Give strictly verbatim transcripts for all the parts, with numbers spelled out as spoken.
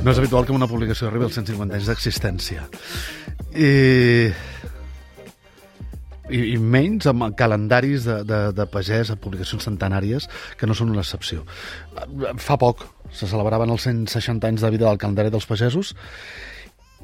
No és habitual que una publicació arribi als cent cinquanta anys d'existència. I... I, i menys amb calendaris de, de, de pagès, amb publicacions centenàries, que no són una excepció. Fa poc se celebraven els cent seixanta anys de vida del calendari dels pagesos,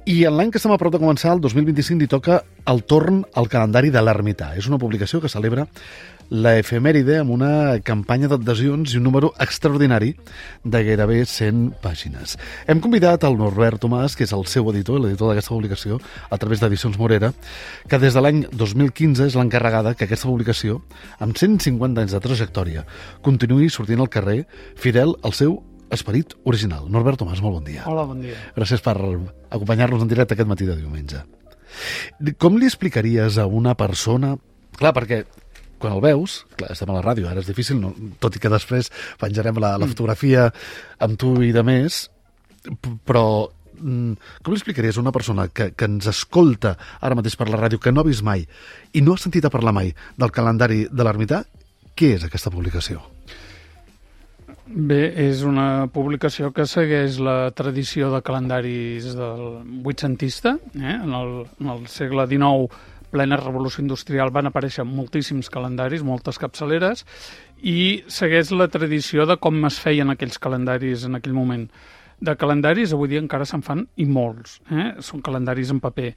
i en l'any que estem a prop de començar, el dos mil vint-i-cinc, li toca el torn al calendari de l'Ermità. És una publicació que celebra la efemèride amb una campanya d'adhesions i un número extraordinari de gairebé cent pàgines. Hem convidat el Norbert Tomàs, que és el seu editor, l'editor d'aquesta publicació, a través d'Edicions Morera, que des de l'any dos mil quinze és l'encarregada que aquesta publicació, amb cent cinquanta anys de trajectòria, continuï sortint al carrer fidel al seu esperit original. Norbert Tomàs, molt bon dia. Hola, bon dia. Gràcies per acompanyar-nos en directe aquest matí de diumenge. Com li explicaries a una persona... Clar, perquè quan el veus, clar, estem a la ràdio, ara és difícil, no? Tot i que després penjarem la, la fotografia amb tu i de més, però com li explicaries a una persona que, que ens escolta ara mateix per la ràdio, que no ha vist mai i no ha sentit a parlar mai del calendari de l'Ermità, què és aquesta publicació? Bé, és una publicació que segueix la tradició de calendaris del vuitcentista. Eh? En, el, en el segle dinou, plena revolució industrial, van aparèixer moltíssims calendaris, moltes capçaleres, i segueix la tradició de com es feien aquells calendaris en aquell moment. De calendaris, avui dia encara se'n fan, i molts. Eh? Són calendaris en paper.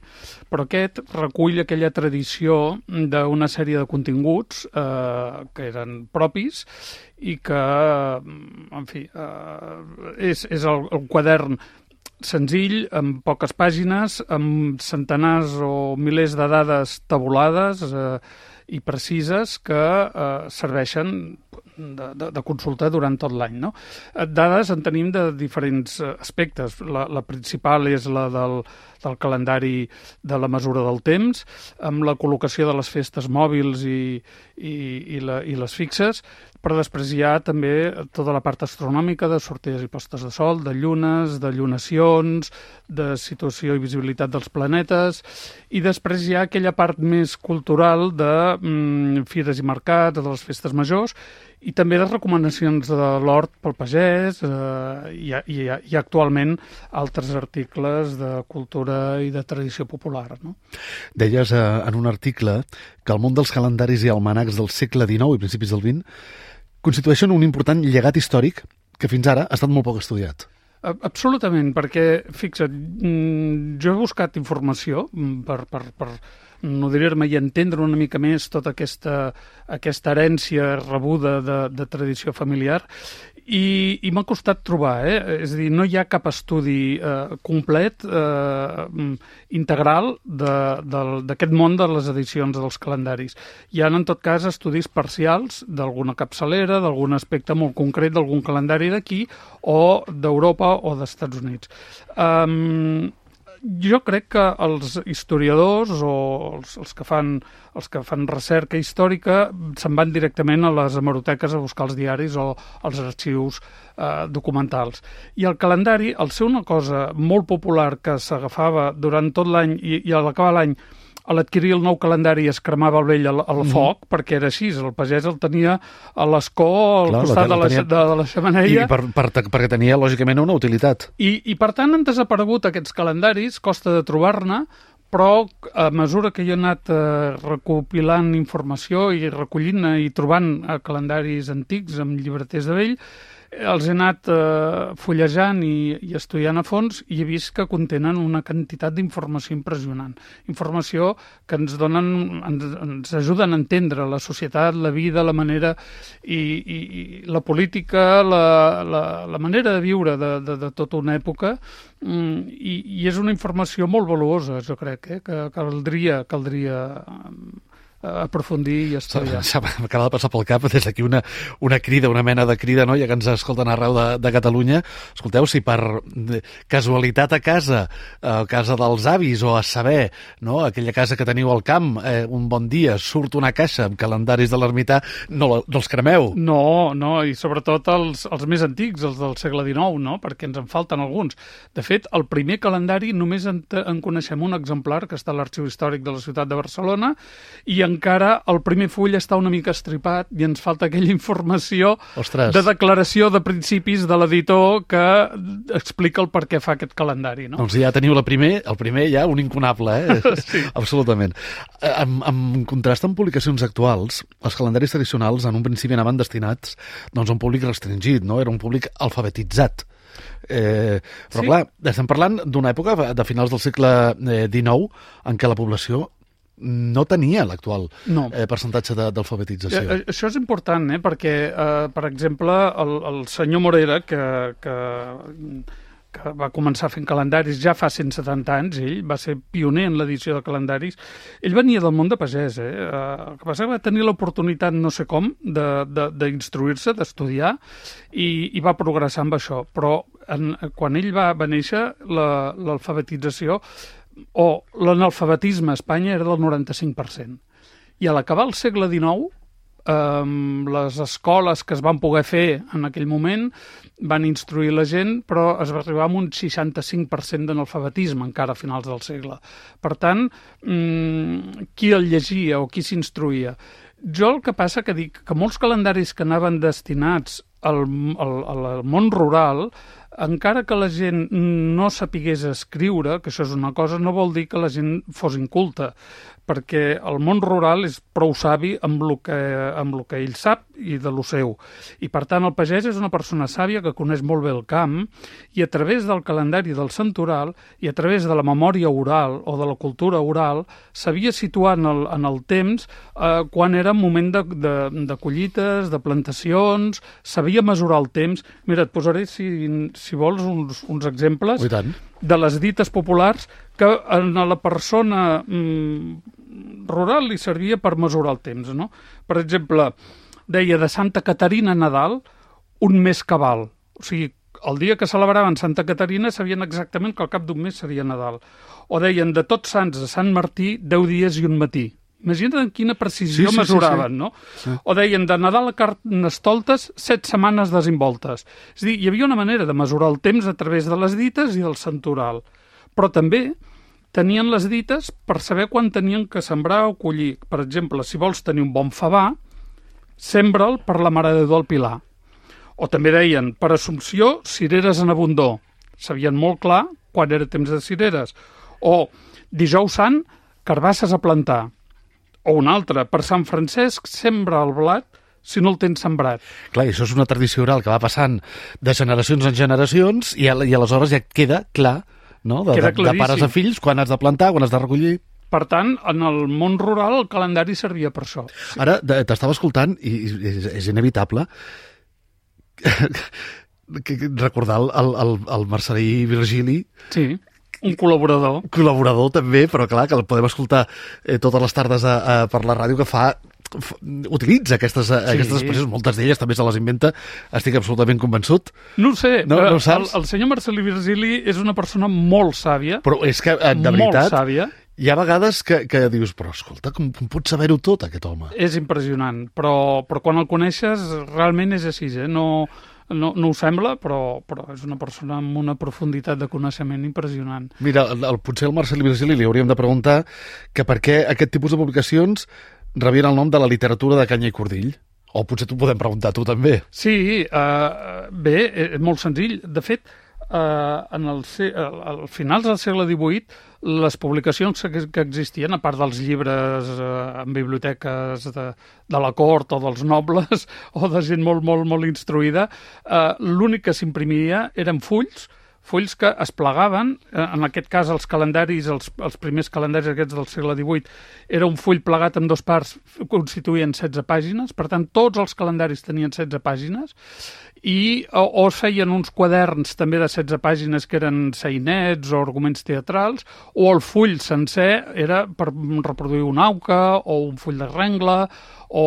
Però aquest recull aquella tradició d'una sèrie de continguts eh, que eren propis i que, en fi, eh, és, és el, el quadern senzill, amb poques pàgines, amb centenars o milers de dades tabulades eh, i precises que eh, serveixen de, de, de consulta durant tot l'any. No? Dades en tenim de diferents aspectes. La, la principal és la del, del calendari de la mesura del temps, amb la col·locació de les festes mòbils i, i, i, la, i les fixes, però després hi ha també tota la part astronòmica de sortides i postes de sol, de llunes, de llunacions, de situació i visibilitat dels planetes, i després hi ha aquella part més cultural de mm, fires i mercats, de les festes majors, i també de recomanacions de l'hort pel pagès, eh, i, i, i actualment altres articles de cultura i de tradició popular. No? Deies eh, en un article que el món dels calendaris i almanacs del segle dinou i principis del vint constitueixen un important llegat històric que fins ara ha estat molt poc estudiat. Absolutament, perquè, fixa't, jo he buscat informació per, per, per nodrir-me i entendre una mica més tota aquesta, aquesta herència rebuda de, de tradició familiar, i, i m'ha costat trobar, eh? És a dir, no hi ha cap estudi eh, complet, eh, integral d'aquest món de les edicions dels calendaris. Hi ha, en tot cas, estudis parcials d'alguna capçalera, d'algun aspecte molt concret d'algun calendari d'aquí, o d'Europa o d'Estats Units. Um, jo crec que els historiadors o els, els, que fan, els que fan recerca històrica se'n van directament a les hemeroteques a buscar els diaris o els arxius eh, documentals. I el calendari, al ser una cosa molt popular que s'agafava durant tot l'any i, i a l'acabar l'any, a l'adquirir el nou calendari es cremava el vell al, al mm. foc, perquè era així, el pagès el tenia a l'escó, al Clar, costat de la, tenia... de, de la xemeneia. I per, per, perquè tenia, lògicament, una utilitat. I, i per tant, han desaparegut aquests calendaris, costa de trobar-ne, però a mesura que jo he anat eh, recopilant informació i recollint i trobant eh, calendaris antics amb llibreters de vell, els he anat eh, fullejant i, i estudiant a fons i he vist que contenen una quantitat d'informació impressionant. Informació que ens donen, ens, ens ajuden a entendre la societat, la vida, la manera i, i, i la política, la, la, la manera de viure de, de, de tota una època, i, i és una informació molt valuosa, jo crec, eh, que caldria, caldria aprofundir i estudiar. M'acaba de passar pel cap des d'aquí una, una crida, una mena de crida, no? Ja que ens escolten arreu de, de Catalunya. Escolteu, si per casualitat a casa, a casa dels avis o a saber, no? Aquella casa que teniu al camp, eh, un bon dia surt una caixa amb calendaris de l'Ermità, no, no els cremeu. No, no, i sobretot els, els més antics, els del segle dinou, no? Perquè ens en falten alguns. De fet, el primer calendari només en, en coneixem un exemplar que està a l'Arxiu Històric de la ciutat de Barcelona, i en encara el primer full està una mica estripat i ens falta aquella informació Ostres. de declaració de principis de l'editor que explica el per què fa aquest calendari, no? Doncs ja teniu la primer, el primer ja un incunable, eh? Sí. Absolutament. En, en contrast amb publicacions actuals, els calendaris tradicionals en un principi anaven destinats doncs, a un públic restringit, no? Era un públic alfabetitzat. Eh, però Sí. clar, estem parlant d'una època de finals del segle dinou en què la població no tenia l'actual No. eh, percentatge de- d'alfabetització. Eh, Això és important, eh? perquè, eh, per exemple, el, el senyor Morera, que, que, que va començar fent calendaris ja fa cent setanta anys, ell va ser pioner en l'edició de calendaris, ell venia del món de pagès, eh? Eh, el que passa que va tenir l'oportunitat, no sé com, de- de- d'instruir-se, de, d'estudiar, i, i va progressar amb això. Però en, quan ell va, va néixer, la- l'alfabetització o l'analfabetisme a Espanya era del noranta-cinc per cent. I a l'acabar el segle dinou, eh, les escoles que es van poder fer en aquell moment van instruir la gent, però es va arribar a un seixanta-cinc per cent d'analfabetisme encara a finals del segle. Per tant, mm, qui el llegia o qui s'instruïa? Jo el que passa que dic que molts calendaris que anaven destinats al, al, al món rural, encara que la gent no sapigués escriure, que això és una cosa, no vol dir que la gent fos inculta, perquè el món rural és prou savi amb el que, amb el que ell sap i de lo seu. I, per tant, el pagès és una persona sàvia que coneix molt bé el camp i a través del calendari del santoral i a través de la memòria oral o de la cultura oral sabia situar en el, en el temps eh, quan era moment de, de, de collites, de plantacions, sabia mesurar el temps. Mira, et posaré, si, si vols, uns, uns exemples Oh, i tant. de les dites populars que a la persona mm, rural li servia per mesurar el temps, no? Per exemple, deia de Santa Caterina a Nadal un mes cabal. O sigui, el dia que celebraven Santa Caterina sabien exactament que al cap d'un mes seria Nadal. O deien de Tots Sants a Sant Martí deu dies i un matí. Imagina't en quina precisió Sí, sí, sí, mesuraven, sí. no? Sí. O deien de Nadal a Carnestoltes set setmanes desimboltes. És a dir, hi havia una manera de mesurar el temps a través de les dites i del santoral. Però també tenien les dites per saber quan tenien que sembrar o collir. Per exemple, si vols tenir un bon favar, sembra'l per la Mare de Déu del Pilar. O també deien, per Assumpció, cireres en abundor. Sabien molt clar quan era temps de cireres. O Dijous Sant, carbasses a plantar. O un altre, per Sant Francesc, sembra el blat si no el tens sembrat. Clar, i això és una tradició oral que va passant de generacions en generacions i, al- i aleshores ja queda clar, no? De, Queda de, de pares claríssim. a fills, quan has de plantar, quan has de recollir. Per tant, en el món rural el calendari servia per això. Ara de- t'estava escoltant i, i és, és inevitable que, que recordar el, el, el, el Marcelí Virgili, Sí, un col·laborador. col·laborador també, però clar, que el podem escoltar eh, totes les tardes a, a, per la ràdio, que fa f- utilitza aquestes, sí. aquestes expressions, moltes d'elles també se les inventa, estic absolutament convençut. No ho sé, No- eh, no ho saps? el, el senyor Marcelí Virgili és una persona molt sàvia, Però és que, eh, de molt veritat, sàvia, hi ha vegades que, que dius, però escolta, com, com pot saber-ho tot, aquest home? és impressionant, però, però quan el coneixes realment és així, eh? no, no, no ho sembla, però, però és una persona amb una profunditat de coneixement impressionant. Mira, el, el, potser al Marcelí Virgili li hauríem de preguntar que per què aquest tipus de publicacions rebien el nom de la literatura de canya i cordill. O potser t'ho podem preguntar tu també. Sí, eh, bé, és molt senzill. De fet, eh, en el, se- al, al finals del segle divuit, les publicacions que, que existien, a part dels llibres eh, en biblioteques de, de la cort o dels nobles o de gent molt, molt, molt instruïda, eh, l'únic que s'imprimia eren fulls, fulls que es plegaven, eh, en aquest cas els calendaris, els, els primers calendaris aquests del segle divuit, era un full plegat en dos parts, constituïen setze pàgines, per tant tots els calendaris tenien setze pàgines, i o, o es feien uns quaderns també de setze pàgines que eren sainets o arguments teatrals, o el full sencer era per reproduir una auca o un full de rengla, o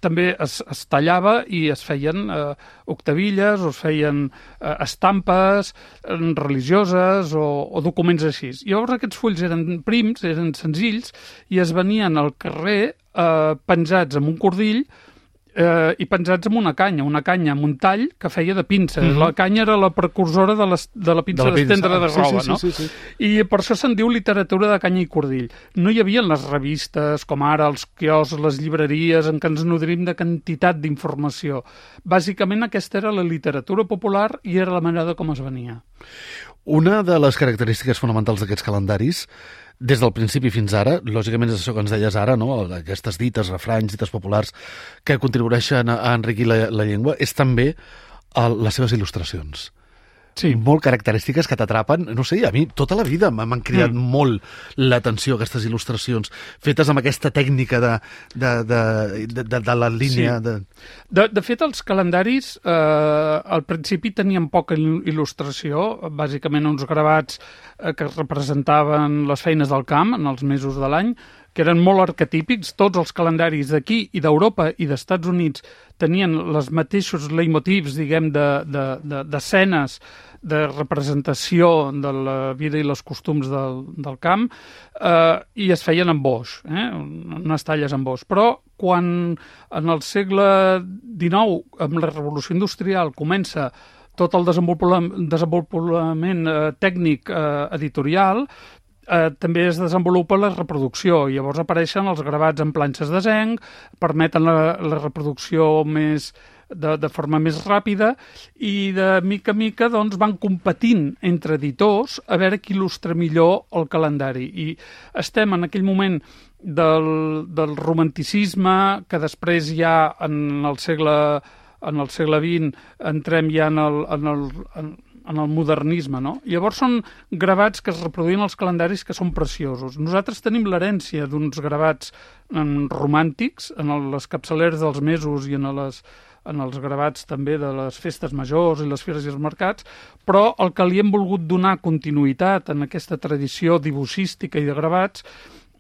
també es, es tallava i es feien eh, octavilles o es feien eh, estampes eh, religioses o, o documents així. Llavors aquests fulls eren prims, eren senzills, i es venien al carrer eh, penjats amb un cordill eh, i penjats amb una canya, una canya amb un tall que feia de pinça. Mm-hmm. La canya era la precursora de, les, de la pinça d'estendre de roba, sí, sí, no? Sí, sí, sí. I per això se'n diu literatura de canya i cordill. No hi havia les revistes, com ara els quioscs, les llibreries, en què ens nodrim de quantitat d'informació. Bàsicament aquesta era la literatura popular i era la manera com es venia. Una de les característiques fonamentals d'aquests calendaris, des del principi fins ara, lògicament és això que ens deies ara, no? Aquestes dites, refranys, dites populars que contribueixen a enriquir la, la llengua, és també el, les seves il·lustracions. Sí. Molt característiques que t'atrapen. No sé, a mi tota la vida m'han cridat mm. molt l'atenció aquestes il·lustracions fetes amb aquesta tècnica de, de, de, de, de, de la línia. Sí. De... De, de fet, els calendaris eh, al principi tenien poca il·lustració, bàsicament uns gravats eh, que representaven les feines del camp en els mesos de l'any, que eren molt arquetípics. Tots els calendaris d'aquí i d'Europa i d'Estats Units tenien els mateixos leitmotivs, diguem, d'escenes, de, de, de representació de la vida i els costums del, del camp, eh, i es feien amb boix, eh, unes talles amb boix. Però quan en el segle dinou, amb la revolució industrial, comença tot el desenvolupament, desenvolupament eh, tècnic eh, editorial, Eh, també es desenvolupa la reproducció. Llavors apareixen els gravats en planxes de zinc, permeten la, la reproducció més de, de forma més ràpida i de mica a mica doncs, van competint entre editors a veure qui il·lustra millor el calendari. I estem en aquell moment del, del romanticisme, que després ja en el segle, en el segle vint entrem ja en el... En el en, en el modernisme, no? Llavors són gravats que es reproduïen als calendaris que són preciosos. Nosaltres tenim l'herència d'uns gravats en, romàntics, en el, les capçaleres dels mesos i en, les, en els gravats també de les festes majors i les fires i els mercats, però el que li hem volgut donar continuïtat en aquesta tradició dibuixística i de gravats,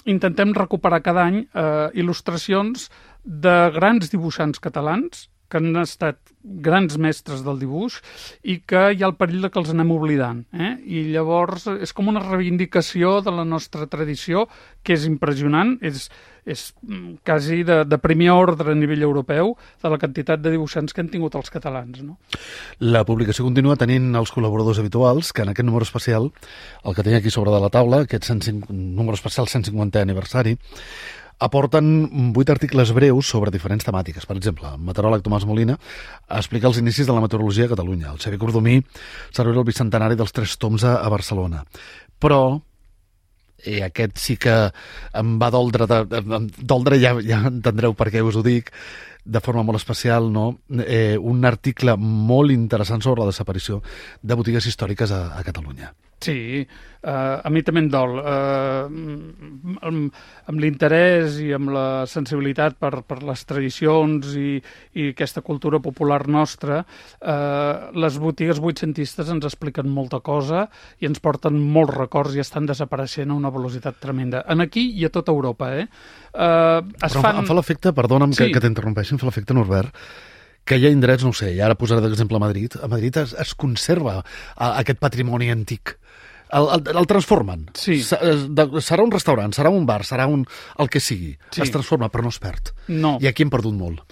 intentem recuperar cada any eh, il·lustracions de grans dibuixants catalans que han estat grans mestres del dibuix i que hi ha el perill que els anem oblidant. Eh? I llavors és com una reivindicació de la nostra tradició, que és impressionant, és, és quasi de, de primer ordre a nivell europeu de la quantitat de dibuixants que han tingut els catalans. No? La publicació continua tenint els col·laboradors habituals, que en aquest número especial, el que tenia aquí sobre de la taula, aquest cent cinc, número especial cent cinquantè aniversari, aporten vuit articles breus sobre diferents temàtiques. Per exemple, el meteoròleg Tomàs Molina explica els inicis de la meteorologia a Catalunya. El Xavier Cordomí celebra el bicentenari dels Tres Tombs a, a Barcelona. Però, i aquest sí que em va doldre, de, de, doldre ja, ja entendreu per què us ho dic, de forma molt especial, no? eh, un article molt interessant sobre la desaparició de botigues històriques a, a Catalunya. Sí, uh, a mi també em dol. Uh, amb amb l'interès i amb la sensibilitat per, per les tradicions i, i aquesta cultura popular nostra, uh, les botigues vuitcentistes ens expliquen molta cosa i ens porten molts records i estan desapareixent a una velocitat tremenda. En aquí i a tota Europa, eh? Uh, es Però fan... em fa l'efecte, perdona'm sí. que, que t'interrompeixi, em fa l'efecte, Norbert, que hi ha indrets, no ho sé, i ara posaré d'exemple a Madrid, a Madrid es, es conserva a, aquest patrimoni antic. El, el, el transformen. Sí. Serà un restaurant, serà un bar, serà un, el que sigui. Sí. Es transforma, però no es perd. No. I aquí hem perdut molt.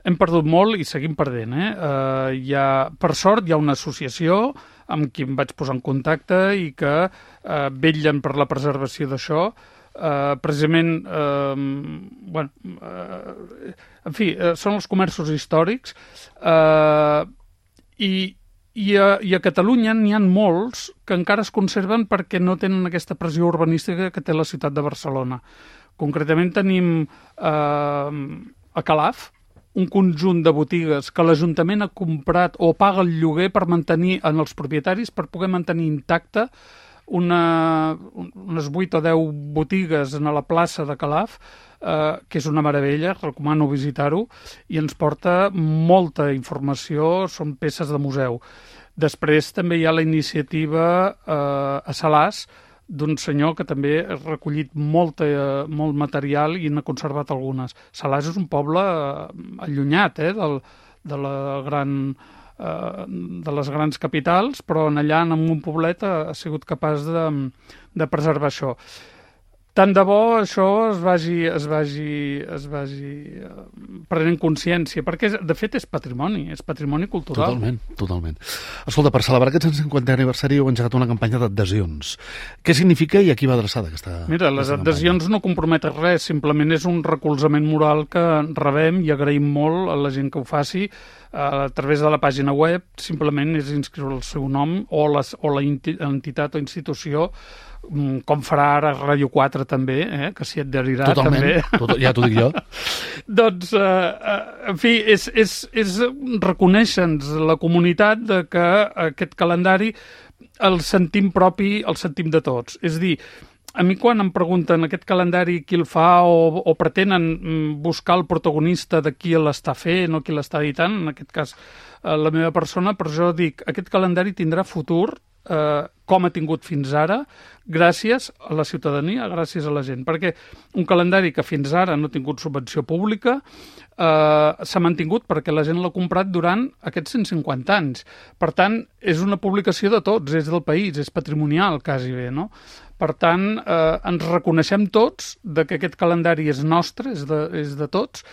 Hem perdut molt i seguim perdent. Eh? Uh, hi ha, per sort, hi ha una associació amb qui em vaig posar en contacte i que uh, vetllen per la preservació d'això. Uh, precisament, uh, bueno, uh, en fi, uh, són els comerços històrics uh, i I a, I a Catalunya n'hi ha molts que encara es conserven perquè no tenen aquesta pressió urbanística que té la ciutat de Barcelona. Concretament tenim eh, a Calaf un conjunt de botigues que l'Ajuntament ha comprat o paga el lloguer per mantenir en els propietaris per poder mantenir intacte una, unes vuit o deu botigues a la plaça de Calaf, eh, que és una meravella, recomano visitar-ho, i ens porta molta informació, són peces de museu. Després també hi ha la iniciativa eh, a Salàs, d'un senyor que també ha recollit molta, eh, molt material i n'ha conservat algunes. Salàs és un poble eh, allunyat eh, del, de la gran... de les grans capitals, però en allà, en un poblet, ha sigut capaç de, de preservar això. tant de bo això es vagi, es vagi, es vagi prenent consciència, perquè de fet és patrimoni, és patrimoni cultural. Totalment, totalment. Escolta, per celebrar aquest cent cinquantè aniversari heu engegat una campanya d'adhesions. Què significa i a qui va adreçada aquesta Mira, les adhesions campanya? No comprometen res, simplement és un recolzament moral que rebem i agraïm molt a la gent que ho faci a través de la pàgina web. Simplement és inscriure el seu nom o, les, o la entitat o institució, com farà ara Ràdio quatre també, eh? Que s'hi adherirà. Totalment, també. Tot, ja t'ho dic jo. Doncs, eh, en fi, és, és, és reconèixer-nos la comunitat de que aquest calendari el sentim propi, el sentim de tots. És a dir, a mi quan em pregunten aquest calendari qui el fa o, o pretenen buscar el protagonista de qui l'està fent o qui l'està editant, en aquest cas la meva persona, però jo dic, aquest calendari tindrà futur eh, com ha tingut fins ara, gràcies a la ciutadania, gràcies a la gent. Perquè un calendari que fins ara no ha tingut subvenció pública eh, s'ha mantingut perquè la gent l'ha comprat durant aquests cent cinquanta anys. Per tant, és una publicació de tots, és del país, és patrimonial, quasi bé, no? Per tant, eh, ens reconeixem tots de que aquest calendari és nostre, és de, és de tots,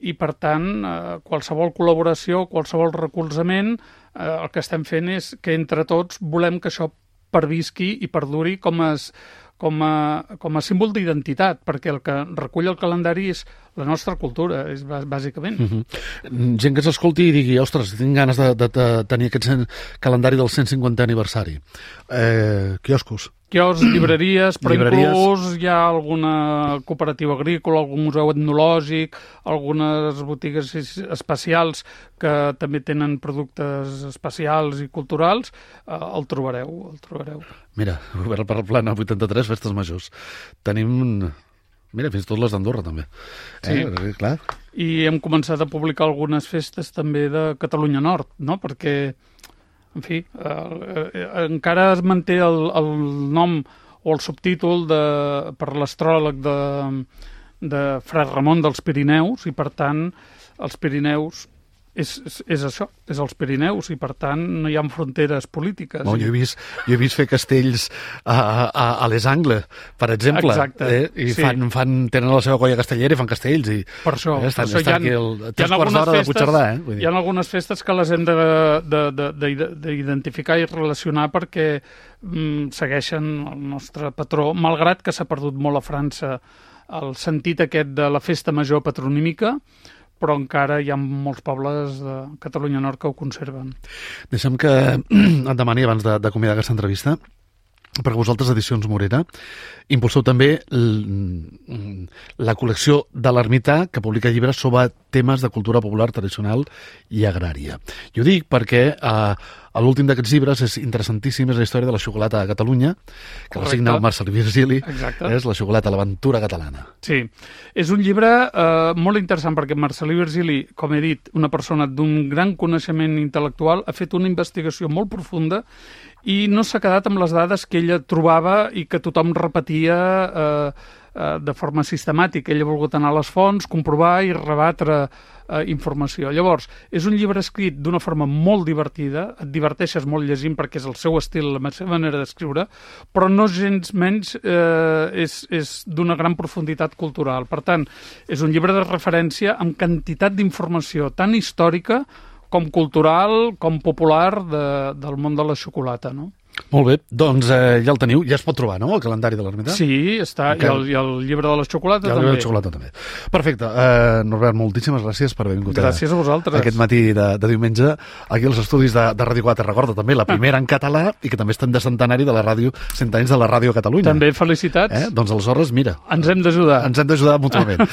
i per tant, eh, qualsevol col·laboració, qualsevol recolzament, eh, el que estem fent és que entre tots volem que això pervisqui i perduri com a, com a, com a símbol d'identitat, perquè el que recull el calendari és la nostra cultura, és bàsicament. Mm-hmm. Gent que s'escolti i digui, ostres, tinc ganes de, de, de tenir aquest cent, calendari del cent cinquantè aniversari. Eh, quioscos. Quioscs, llibreries, però llibreries. Inclús hi ha alguna cooperativa agrícola, algun museu etnològic, algunes botigues especials que també tenen productes especials i culturals, eh, el trobareu, el trobareu. Mira, obert per el Plana vuitanta-tres, festes majors. Tenim... Mira, fins i tot les d'Andorra, també. Sí. Eh, clar. I hem començat a publicar algunes festes també de Catalunya Nord, no? Perquè, en fi, eh, eh, encara es manté el, el nom o el subtítol de, per l'astròleg de, de Fra Ramon dels Pirineus, i per tant, els Pirineus és, és, és això, és els Pirineus, i per tant no hi ha fronteres polítiques. Bon, jo, he vist, jo he vist fer castells a, a, a Les Angles, per exemple. Exacte. Eh? I sí. fan, fan, tenen la seva colla castellera i fan castells. I, per això. Eh, estan, per això estan aquí el, tres quarts d'hora de Puigcerdà. Eh? Vull dir. Hi ha algunes festes que les hem d'identificar i relacionar perquè mm, segueixen el nostre patró, malgrat que s'ha perdut molt a França el sentit aquest de la festa major patronímica, però encara hi ha molts pobles de Catalunya Nord que ho conserven. Deixa'm que et demani, abans d'acomiadar aquesta entrevista, perquè vosaltres, Edicions Morera, impulseu també la col·lecció de l'Ermità, que publica llibres sobre temes de cultura popular, tradicional i agrària. Jo dic perquè eh, l'últim d'aquests llibres és interessantíssim, és la història de la xocolata a Catalunya, que la signa el Marcel·lí Virgili, exacte. És la xocolata, l'aventura catalana. Sí, és un llibre eh, molt interessant perquè Marcel·lí Virgili, com he dit, una persona d'un gran coneixement intel·lectual, ha fet una investigació molt profunda i no s'ha quedat amb les dades que ella trobava i que tothom repetia eh, eh, de forma sistemàtica. Ella ha volgut anar a les fonts, comprovar i rebatre eh, informació. Llavors, és un llibre escrit d'una forma molt divertida, et diverteixes molt llegint perquè és el seu estil, la seva manera d'escriure, però no gens menys eh, és, és d'una gran profunditat cultural. Per tant, és un llibre de referència amb quantitat d'informació tan històrica com cultural, com popular de, del món de la xocolata, no? Molt bé, doncs eh, ja el teniu, ja es pot trobar, no?, el calendari de l'Ermità? Sí, està, okay. i, el, i el llibre de la xocolata també. I el llibre de la xocolata també. Perfecte. Eh, Norbert, moltíssimes gràcies per haver vingut gràcies a, a vosaltres. Aquest matí de, de diumenge aquí als estudis de, de Ràdio quatre. Recorda també la primera en català i que també estem de centenari de la ràdio, cent anys de la Ràdio Catalunya. També felicitats. Eh? Doncs aleshores, mira. Ens hem d'ajudar. Ens hem d'ajudar mútuament.